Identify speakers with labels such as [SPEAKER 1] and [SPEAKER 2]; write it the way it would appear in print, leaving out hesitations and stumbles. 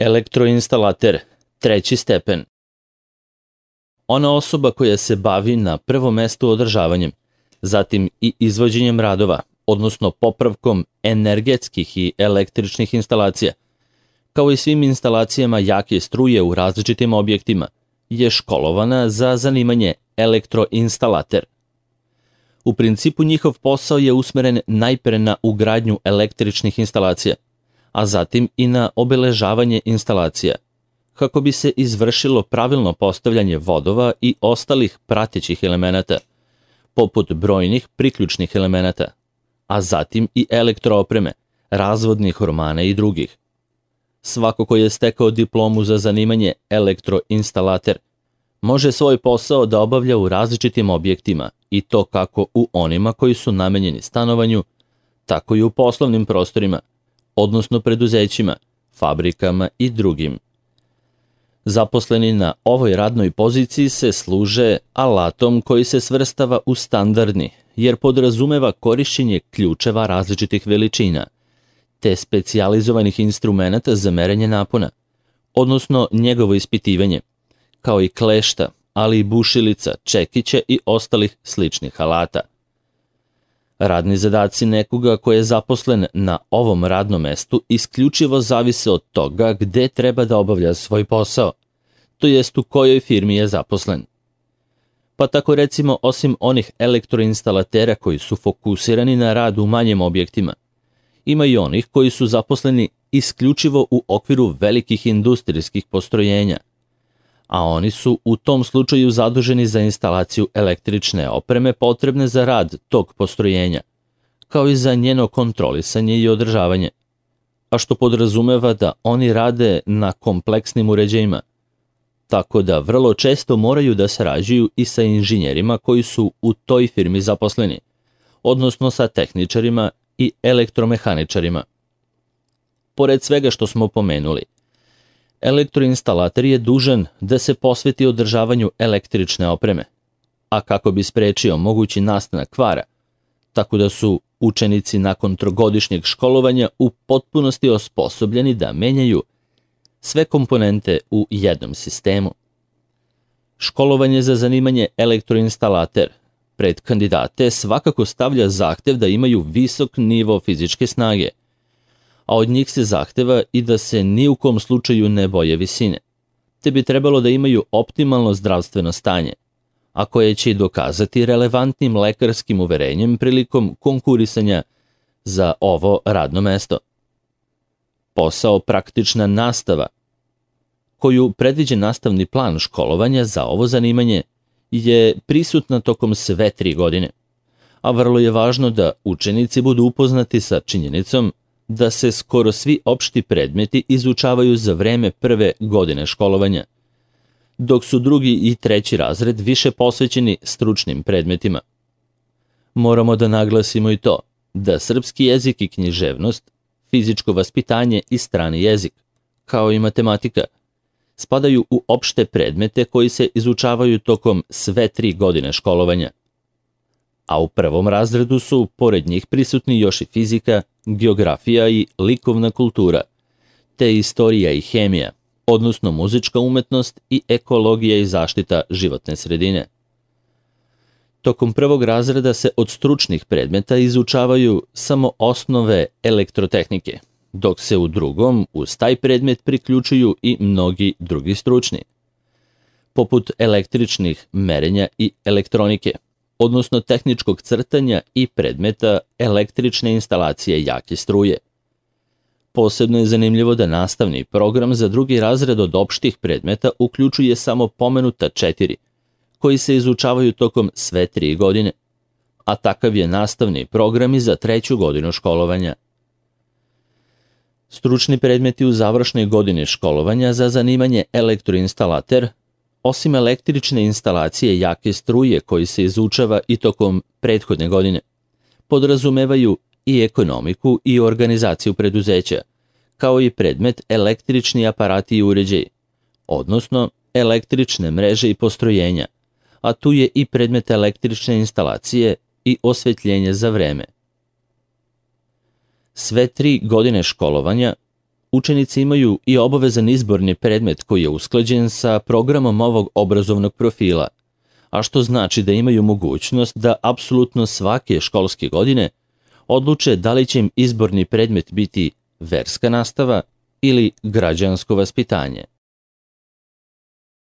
[SPEAKER 1] Elektroinstalater, treći stepen. Ona osoba koja se bavi na prvom mestu održavanjem, zatim i izvođenjem radova, odnosno popravkom energetskih i električnih instalacija, kao i svim instalacijama jake struje u različitim objektima, je školovana za zanimanje elektroinstalater. U principu njihov posao je usmeren najpre na ugradnju električnih instalacija, a zatim i na obeležavanje instalacija, kako bi se izvršilo pravilno postavljanje vodova i ostalih pratećih elemenata, poput brojnih priključnih elemenata, a zatim i elektroopreme, razvodnih ormana i drugih. Svako ko je stekao diplomu za zanimanje elektroinstalater može svoj posao da obavlja u različitim objektima, i to kako u onima koji su namenjeni stanovanju, tako i u poslovnim prostorima, odnosno preduzećima, fabrikama i drugim. Zaposleni na ovoj radnoj poziciji se služe alatom koji se svrstava u standardni, jer podrazumeva korišćenje ključeva različitih veličina, te specijalizovanih instrumenata za merenje napona, odnosno njegovo ispitivanje, kao i klešta, ali i bušilica, čekića i ostalih sličnih alata. Radni zadaci nekoga ko je zaposlen na ovom radnom mestu isključivo zavise od toga gde treba da obavlja svoj posao, to jest u kojoj firmi je zaposlen. Pa tako recimo, osim onih elektroinstalatera koji su fokusirani na rad u manjim objektima, ima i onih koji su zaposleni isključivo u okviru velikih industrijskih postrojenja, a oni su u tom slučaju zaduženi za instalaciju električne opreme potrebne za rad tog postrojenja, kao i za njeno kontrolisanje i održavanje, a što podrazumeva da oni rade na kompleksnim uređajima, tako da vrlo često moraju da sarađuju i sa inženjerima koji su u toj firmi zaposleni, odnosno sa tehničarima i elektromehaničarima. Pored svega što smo pomenuli, elektroinstalater je dužan da se posveti održavanju električne opreme, a kako bi sprečio mogući nastanak kvara, tako da su učenici nakon trogodišnjeg školovanja u potpunosti osposobljeni da menjaju sve komponente u jednom sistemu. Školovanje za zanimanje elektroinstalater pred kandidate svakako stavlja zahtev da imaju visok nivo fizičke snage, a od njih se zahteva i da se ni u kom slučaju ne boje visine, te bi trebalo da imaju optimalno zdravstveno stanje, a koje će i dokazati relevantnim lekarskim uverenjem prilikom konkurisanja za ovo radno mesto. Posao praktična nastava, koju predviđa nastavni plan školovanja za ovo zanimanje, je prisutna tokom sve 3 godine, a vrlo je važno da učenici budu upoznati sa činjenicom da se skoro svi opšti predmeti izučavaju za vreme prve godine školovanja, dok su drugi i treći razred više posvećeni stručnim predmetima. Moramo da naglasimo i to da srpski jezik i književnost, fizičko vaspitanje i strani jezik, kao i matematika, spadaju u opšte predmete koji se izučavaju tokom sve 3 godine školovanja. A u prvom razredu su, pored njih, prisutni još i fizika, geografija i likovna kultura, te istorija i hemija, odnosno muzička umetnost i ekologija i zaštita životne sredine. Tokom prvog razreda se od stručnih predmeta izučavaju samo osnove elektrotehnike, dok se u drugom uz taj predmet priključuju i mnogi drugi stručni, poput električnih merenja i elektronike, odnosno tehničkog crtanja i predmeta električne instalacije jake struje. Posebno je zanimljivo da nastavni program za drugi razred od opštih predmeta uključuje samo pomenuta 4, koji se izučavaju tokom sve 3 godine, a takav je nastavni program i za 3. godinu školovanja. Stručni predmeti u završnoj godini školovanja za zanimanje elektroinstalater, osim električne instalacije jake struje koji se izučava i tokom prethodne godine, podrazumevaju i ekonomiku i organizaciju preduzeća, kao i predmet električni aparati i uređaji, odnosno električne mreže i postrojenja, a tu je i predmet električne instalacije i osvetljenje za vreme. Sve 3 godine školovanja učenici imaju i obavezan izborni predmet koji je usklađen sa programom ovog obrazovnog profila, a što znači da imaju mogućnost da apsolutno svake školske godine odluče da li će im izborni predmet biti verska nastava ili građansko vaspitanje.